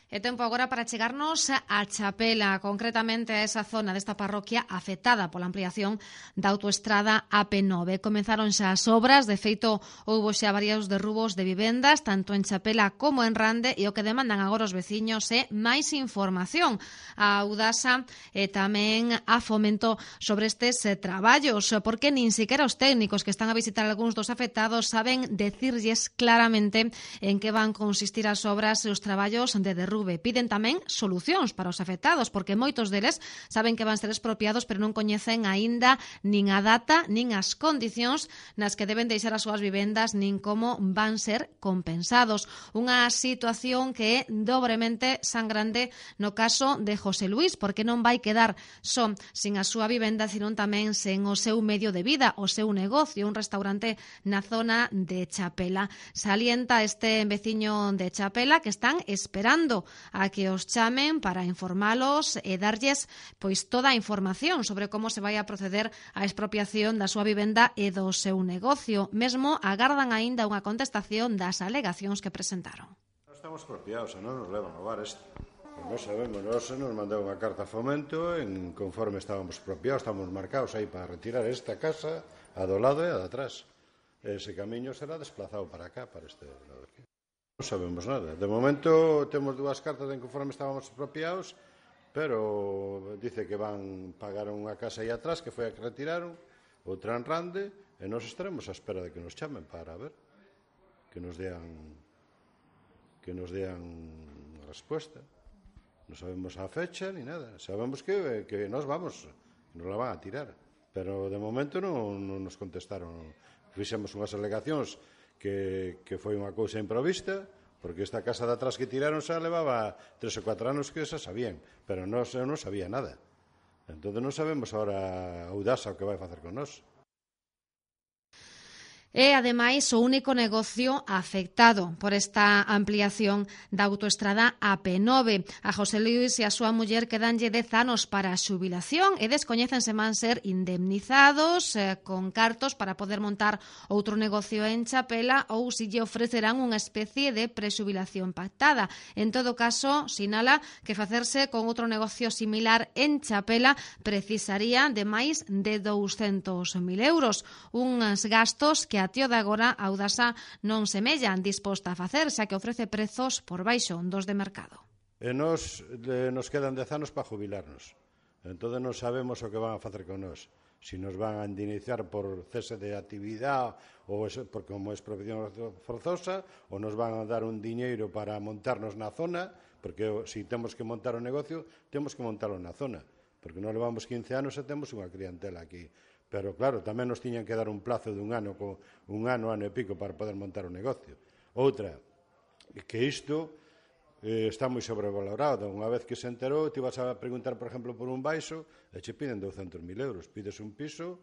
E tempo agora para chegarnos a Chapela, concretamente a esa zona desta parroquia afectada pola ampliación da autoestrada AP9. Comenzaron xa as obras, de feito houbo xa varios derrubos de vivendas, tanto en Chapela como en Rande, e o que demandan agora os veciños é máis información a Audasa e tamén a Fomento sobre estes traballos, porque nin siquiera os técnicos que están a visitar algúns dos afectados saben decirlles claramente en que van consistir as obras e os traballos de derrube. Piden tamén solucións para os afectados, porque moitos deles saben que van ser expropiados, pero non coñecen aínda nin a data, nin as condicións nas que deben deixar as súas vivendas, nin como van ser compensados. Unha situación que é dobremente sangrante no caso de José Luis, porque non vai quedar só sin a súa vivenda, sino tamén sen o seu medio de vida, o seu negocio, un restaurante na zona de Chapela. Salienta este veciño de Chapela que están esperando a que os chamen para informalos e darlles pois toda a información sobre como se vai a proceder á expropiación da súa vivenda e do seu negocio. Mesmo agardan aínda unha contestación das alegacións que presentaron. Estamos expropiados, non nos levan a bar isto. Non sabemos, nos mandou unha carta a Fomento en conforme estábamos expropiados, estamos marcados aí para retirar esta casa a do lado e a de atrás. Ese camiño será desplazado para acá, para este lado aquí. Non sabemos nada. De momento temos dúas cartas en conforme estábamos expropiados, pero dice que van pagar unha casa aí atrás que foi a que retiraron, outra en Rande, e nós estaremos á espera de que nos chamen para ver, que nos dean unha resposta. Non sabemos a fecha ni nada. Sabemos que nós vamos, nos la van a tirar, pero de momento non nos contestaron. Fixemos unhas alegacións que foi unha cousa improvista, porque esta casa de atrás que tiraron xa levaba 3 ou 4 anos que xa sabían, pero eu non sabía nada. Entón non sabemos agora a Audasa o que vai facer con nós. É, ademais, o único negocio afectado por esta ampliación da autoestrada AP9. A José Luis e a súa muller quedanlle 10 anos para a xubilación e descoñecen se van ser indemnizados con cartos para poder montar outro negocio en Chapela ou se lle ofrecerán unha especie de prexubilación pactada. En todo caso, sinala que facerse con outro negocio similar en Chapela precisaría de máis de 200.000 euros, uns gastos que a tío de agora a Audasa non semella disposta a facer, xa que ofrece prezos por baixo dos de mercado. E nos quedan 10 anos para jubilarnos. Entón non sabemos o que van a facer con nós. Si nos van a indemnizar por cese de actividade ou como expropiación forzosa, ou nos van a dar un diñeiro para montarnos na zona, porque se temos que montar o negocio, temos que montarlo na zona, porque non levamos 15 anos e temos unha clientela aquí. Pero, claro, tamén nos tiñan que dar un plazo de un ano e pico para poder montar o negocio. Outra, que isto está moi sobrevalorado. Unha vez que se enterou, te vas a preguntar, por exemplo, por un baixo, e che piden 200.000 euros. Pides un piso,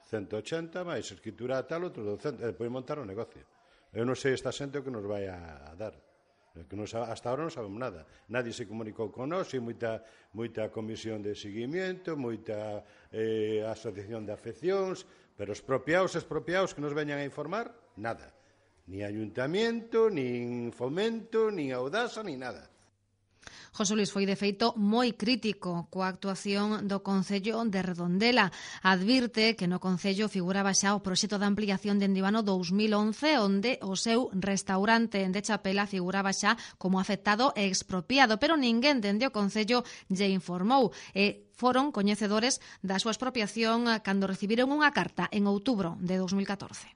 180, máis escritura tal, outro 200, e depois montar o negocio. Eu non sei esta xente o que nos vai a dar. Hasta ahora non sabemos nada. Nadie se comunicou con nós, e moita comisión de seguimiento, moita asociación de afeccións, pero expropiados que nos veñan a informar, nada. Ni ayuntamiento, nin Fomento, nin Audasa, nin nada. José Luis foi, de feito, moi crítico coa actuación do Concello de Redondela. Advirte que no Concello figuraba xa o proxecto de ampliación dende o ano 2011, onde o seu restaurante de Chapela figuraba xa como afectado e expropiado, pero ninguén dende o Concello lle informou e foron coñecedores da súa expropiación cando recibiron unha carta en outubro de 2014.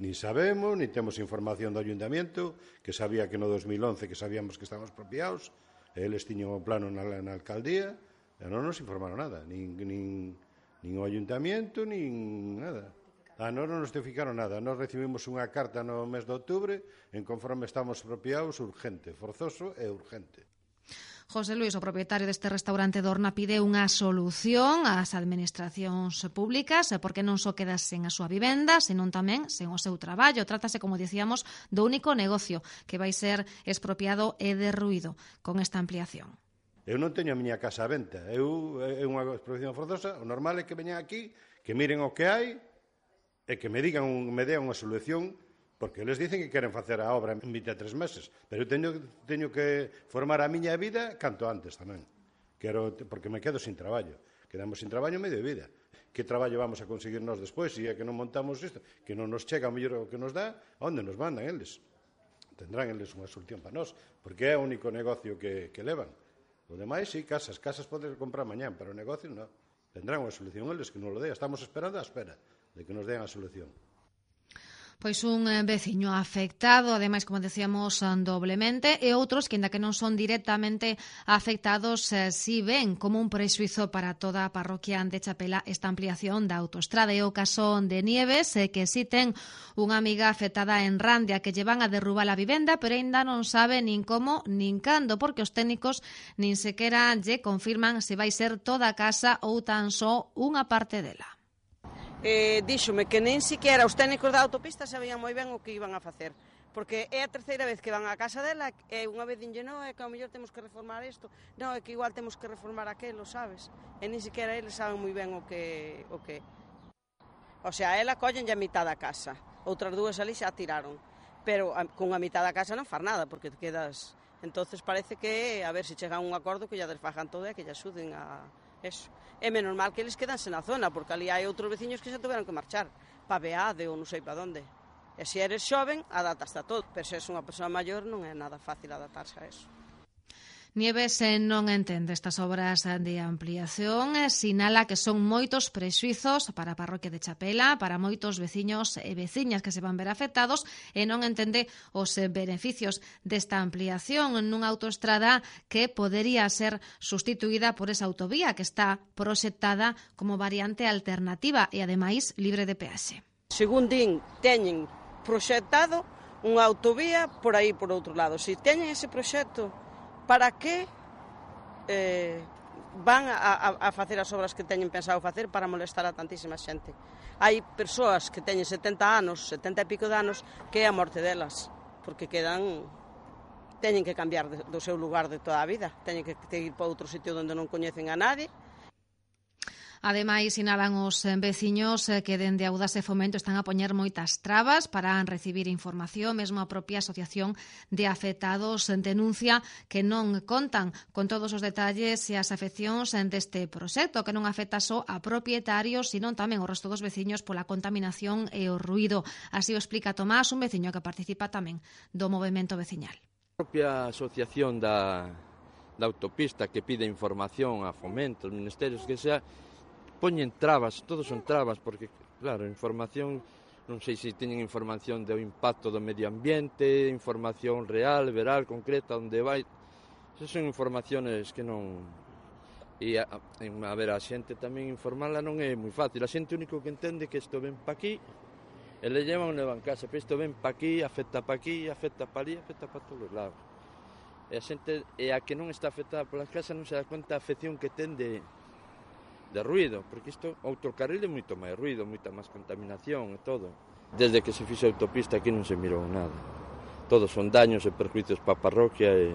Ni sabemos, ni temos información do Ayuntamiento, que sabía que no 2011 que sabíamos que estábamos expropiados. Eles tiñan o plano na alcaldía e non nos informaron nada, nin o ayuntamiento, nin nada. Non nos notificaron nada. Nos recibimos unha carta no mes de outubre en conforme estamos expropiados urgente, forzoso e urgente. José Luis, o propietario deste restaurante de Horna, pide unha solución ás administracións públicas porque non só queda sen a súa vivenda, senón tamén sen o seu traballo. Trátase, como dicíamos, do único negocio que vai ser expropiado e derruído con esta ampliación. Eu non teño a miña casa a venta. É unha expropiación forzosa. O normal é que veñan aquí, que miren o que hai e que me dean unha solución Porque eles dicen que queren facer a obra en 23 meses, pero eu teño que formar a miña vida canto antes tamén. Porque me quedo sin traballo. Quedamos sin traballo medio de vida. Que traballo vamos a conseguir nós despois? Se é que non montamos isto, que non nos chega o mellor o que nos dá, onde nos mandan eles? Tendrán eles unha solución para nós, porque é o único negocio que levan. O demais, sí, casas podes comprar mañán, pero o negocio non. Tendrán unha solución eles que non lo dea. Estamos esperando a espera de que nos den a solución. Pois un veciño afectado, ademais, como decíamos, doblemente, e outros que, ainda que non son directamente afectados, si ven como un prexuizo para toda a parroquia de Chapela esta ampliación da autoestrada. É o caso de Nieves, que si ten unha amiga afectada en Randia, que lle van a derrubar a vivenda, pero ainda non sabe nin como nin cando, porque os técnicos nin sequera lle confirman se vai ser toda a casa ou tan só unha parte dela. Díxome que nen siquiera os técnicos da autopista sabían moi ben o que iban a facer, porque é a terceira vez que van á casa dela e unha vez dinlle, non, é que ao mellor temos que reformar isto, non, é que igual temos que reformar aquelo, sabes? E nin siquiera eles saben moi ben o que. O sea, ela collenlle a mitad da casa, outras dúas ali xa tiraron, pero con a mitad da casa non far nada, porque te quedas. Entonces parece que, a ver se chegan a un acordo que ya desfajan todo e que ya axuden a eso. É menos mal que eles quedanse na zona, porque ali hai outros veciños que xa tuveron que marchar para Beade ou non sei para onde. E se eres xoven, adaptaste a todo, pero se eres unha persoa maior non é nada fácil adaptarse a eso. Nieves non entende estas obras de ampliación, sinala que son moitos prexuizos para a parroquia de Chapela, para moitos veciños e veciñas que se van ver afectados, e non entende os beneficios desta ampliación nunha autoestrada que podería ser sustituída por esa autovía que está proxectada como variante alternativa e, ademais, libre de peaxe. Según din, teñen proxectado unha autovía por aí por outro lado. Se teñen ese proxecto, para que van a facer as obras que teñen pensado facer para molestar a tantísima xente? Hai persoas que teñen 70 anos, 70 e pico de anos, que é a morte delas, porque teñen que cambiar do seu lugar de toda a vida, teñen que ir para outro sitio onde non coñecen a nadie. Ademais, sinalan os veciños que dende Audas e Fomento están a poñer moitas trabas para recibir información. Mesmo a propia Asociación de Afectados denuncia que non contan con todos os detalles e as afeccións deste proxecto, que non afecta só a propietarios, sino tamén o resto dos veciños pola contaminación e o ruído. Así o explica Tomás, un veciño que participa tamén do movemento veciñal. A propia asociación da autopista que pide información a Fomento, os ministerios que sea, poñen trabas, todos son trabas, porque, claro, información, non sei se teñen información do impacto do medio ambiente, información real, veral, concreta, onde vai. Esas son informaciones que non. E, a ver, a xente tamén informarla non é moi fácil. A xente único que entende que isto ven pa aquí, e le llevan a casa, pero isto ven pa aquí, afecta pa aquí, afecta pa ali, afecta pa todos os lados. E a xente, e a que non está afectada polas casas non se dá conta a afección que ten de ruído, porque isto, outro carril é moito máis ruído, moita máis contaminación e todo. Desde que se fixe a autopista aquí non se mirou nada. Todos son daños e perjuicios para a parroquia e...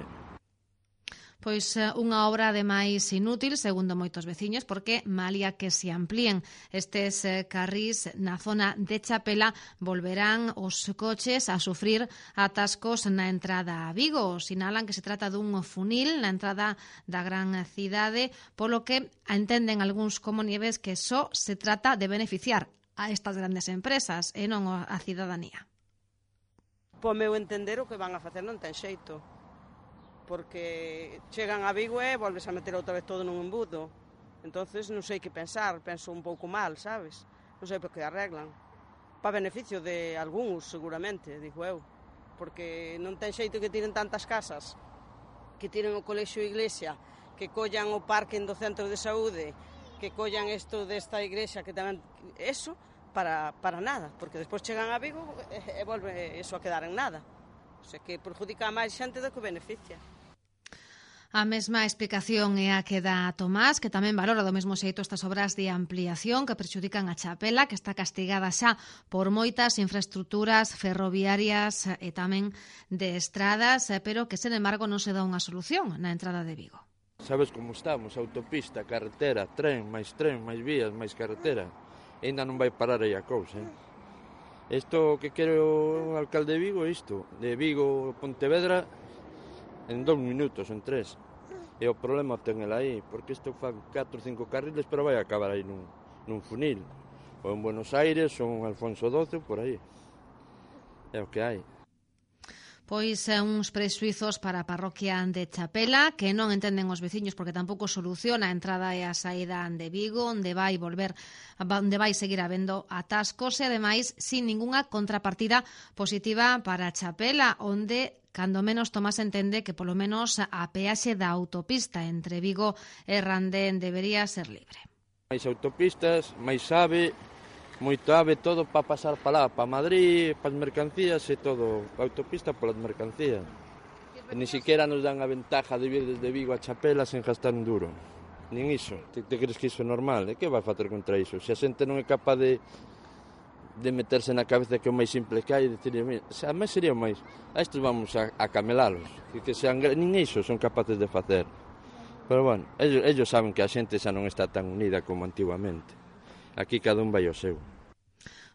Pois unha obra ademais inútil, segundo moitos veciños, porque malia que se amplíen estes carrís na zona de Chapela, volverán os coches a sufrir atascos na entrada a Vigo. Sinalan que se trata dun funil na entrada da gran cidade, polo que entenden algúns como Nieves que só se trata de beneficiar a estas grandes empresas e non a cidadanía. Po meu entender, o que van a facer non ten xeito, porque chegan a Vigo e volves a meter outra vez todo nun embudo. Entonces non sei que pensar, penso un pouco mal, sabes? Non sei por que arreglan. Para beneficio de algúns, seguramente, digo eu, porque non ten xeito que tiren tantas casas, que tiren o colexio e iglesia, que collan o parking do centro de saúde, que collan isto desta iglesia, que tamén... Eso, para nada, porque despois chegan a Vigo e volve eso a quedar en nada. O sea, que perjudica a máis xente do que beneficia. A mesma explicación é a que dá Tomás, que tamén valora do mesmo xeito estas obras de ampliación que perxudican a Chapela, que está castigada xa por moitas infraestructuras ferroviarias e tamén de estradas, pero que, sen embargo, non se dá unha solución na entrada de Vigo. Sabes como estamos? Autopista, carretera, máis vías, máis carretera. E ainda non vai parar aí a cousa, Isto que quere o alcalde de Vigo é isto, de Vigo a Pontevedra en 2 minutos, en 3. E o problema ten el aí, porque isto fan 4 ou 5 carriles, pero vai acabar aí nun funil. Ou en Buenos Aires, ou en Alfonso XII, por aí. É o que hai. Pois uns prexuizos para a parroquia de Chapela que non entenden os veciños porque tampouco soluciona a entrada e a saída de Vigo, onde vai seguir habendo atascos e ademais sin ningunha contrapartida positiva para Chapela, onde cando menos Tomás entende que polo menos a peaxe da autopista entre Vigo e Randén debería ser libre. Máis autopistas, máis ave, moito ave, todo para pasar para lá, para Madrid, para as mercancías e todo, a autopista polas mercancías. E ni siquiera nos dan a ventaja de vir desde Vigo a Chapela sen gastar un duro. Nin iso. Te crees que iso é normal? E que vai facer contra iso? Se a xente non é capaz de meterse na cabeza que é o máis simple que hai, a máis sería o máis. A estes vamos a camelalos. Que sean, nin iso son capaces de facer. Pero bueno, ellos saben que a xente xa non está tan unida como antiguamente. Aquí cada un vai ao seu.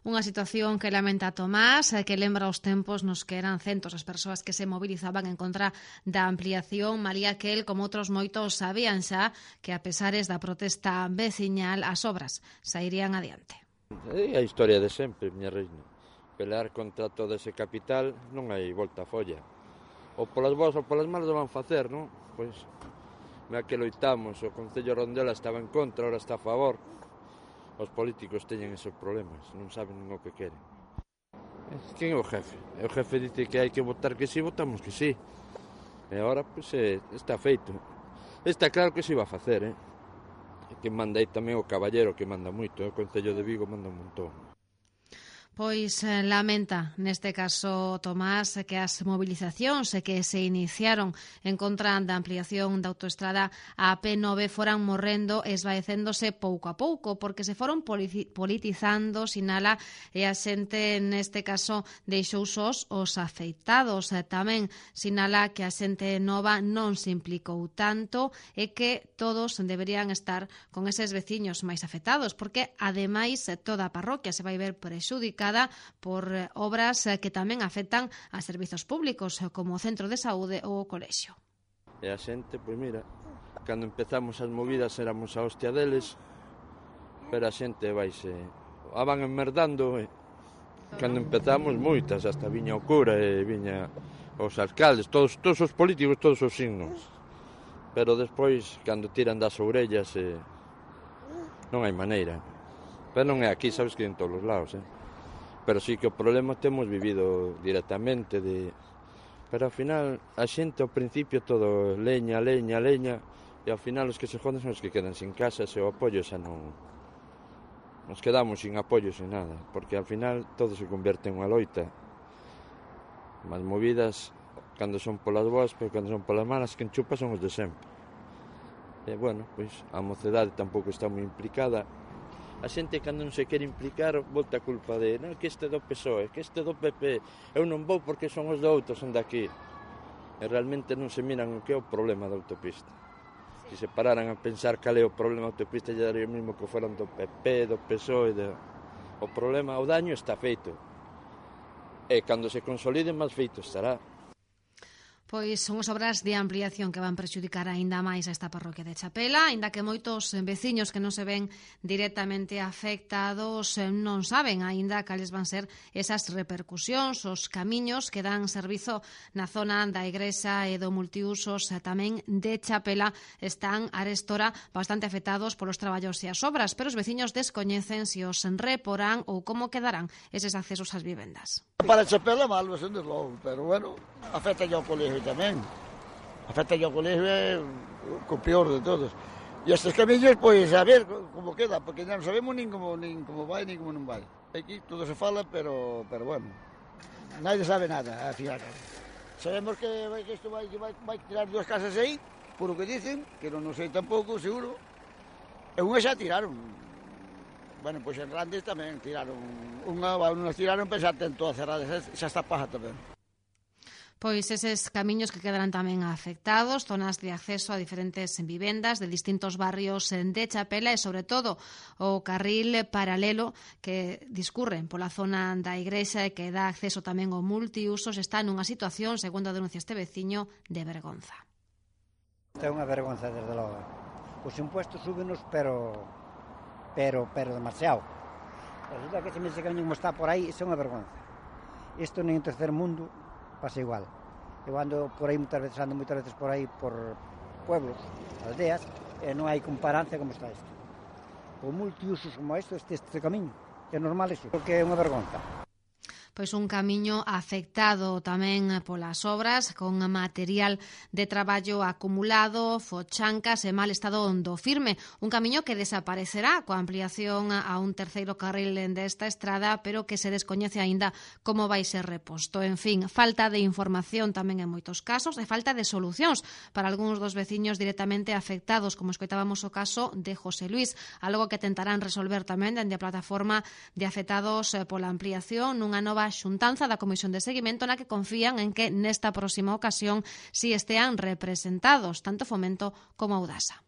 Unha situación que lamenta Tomás, que lembra os tempos nos que eran centos as persoas que se movilizaban en contra da ampliación. María que el, como outros moitos, sabían xa que a pesares da protesta veciñal as obras sairían adiante. É a historia de sempre, miña reina. Pelear contra todo ese capital non hai volta a folla. Ou polas boas ou polas malas van facer, non? Pois, mea que loitamos, o Concello Rondela estaba en contra, ahora está a favor. Os políticos teñen esos problemas, non saben o que queren. Quen é o jefe? O jefe dice que hai que votar que sí, votamos que sí. E agora, pois, está feito. Está claro que se iba a facer, que manda aí tamén o caballero, que manda moito, o Concello de Vigo manda un montón. Pois lamenta, neste caso, Tomás, que as movilizacións que se iniciaron en contra da ampliación da autoestrada a P9 foran morrendo e esvaecéndose pouco a pouco, porque se foron politizando, sinala, e a xente, neste caso, deixou sós os afeitados. Tamén sinala que a xente nova non se implicou tanto e que todos deberían estar con eses veciños máis afectados, porque, ademais, toda a parroquia se vai ver prexudicada por obras que tamén afectan a servizos públicos como o centro de saúde ou o colexio. E a xente, pois mira, cando empezamos as movidas éramos a hostia deles, pero a xente vaise, a van enmerdando, cando empezamos moitas, hasta viña o cura e viña os alcaldes, todos os políticos, todos os signos, pero despois, cando tiran das orellas, non hai maneira. Pero non é aquí, sabes que en todos os lados, Pero sí que o problema temos vivido directamente pero ao final a xente ao principio todo leña e ao final os que se joden son os que quedan sin casa e o apoio xa non nos quedamos sin apoio sin nada porque ao final todo se convierte en unha loita as movidas cando son polas boas pero cando son polas malas que enchupa son os de sempre e bueno, pois a mocedade tampouco está moi implicada. A xente cando non se quere implicar volta a culpa de non, que este do PSOE, que este do PP eu non vou porque son os de outros, son daqui e realmente non se miran o que é o problema da autopista. Se se pararan a pensar cal é o problema da autopista lle daría o mesmo que foran do PP, do PSOE o problema, o daño está feito e cando se consolide máis feito estará. Pois son as obras de ampliación que van prexudicar aínda máis a esta parroquia de Chapela, aínda que moitos veciños que non se ven directamente afectados non saben aínda cales van ser esas repercusións, os camiños que dan servizo na zona da igrexa e do multiusos tamén de Chapela están arestora bastante afectados polos traballos e as obras, pero os veciños descoñecen se os reporán ou como quedarán eses accesos ás vivendas. Para Chapela mal, desde logo, pero bueno, afecta ao colegio tamén. Afecta ao colegio é o peor de todos. E estes camiños, pois, a ver como queda, porque non sabemos nin como vai, nin como non vai. Aquí todo se fala, pero bueno, nadie sabe nada, a final. Sabemos que isto vai tirar 2 casas aí, por o que dicen, que non sei tampouco, seguro. E unha xa tiraron. Bueno, pois en Randes tamén tiraron unha, nos tiraron, pero xa ten todas cerradas, xa está paja tamén. Pois eses camiños que quedarán tamén afectados, zonas de acceso a diferentes vivendas de distintos barrios de Chapela e, sobre todo, o carril paralelo que discurre pola zona da igrexa e que dá acceso tamén ao multiusos está nunha situación, segundo denuncia este veciño, de vergonza. É unha vergonza, desde logo. Os impuestos súbenos, pero demasiado. Resulta que ese mesmo camiño como está por aí, é unha vergonza. Isto nin en terceiro mundo pasa igual. Eu ando por aí moitas veces por aí por pueblos, aldeas, e non hai comparancia como está isto. O multiusos como este camiño, é normal iso, porque é unha vergonza. Pois un camiño afectado tamén polas obras, con material de traballo acumulado, fochancas e mal estado do firme. Un camiño que desaparecerá coa ampliación a un terceiro carril desta estrada, pero que se descoñece aínda como vai ser reposto. En fin, falta de información tamén en moitos casos e falta de solucións para algúns dos veciños directamente afectados, como escoitábamos o caso de José Luis, algo que tentarán resolver tamén dende a plataforma de afectados pola ampliación nunha nova xuntanza da Comisión de Seguimento na que confían en que nesta próxima ocasión si estean representados tanto Fomento como Audasa.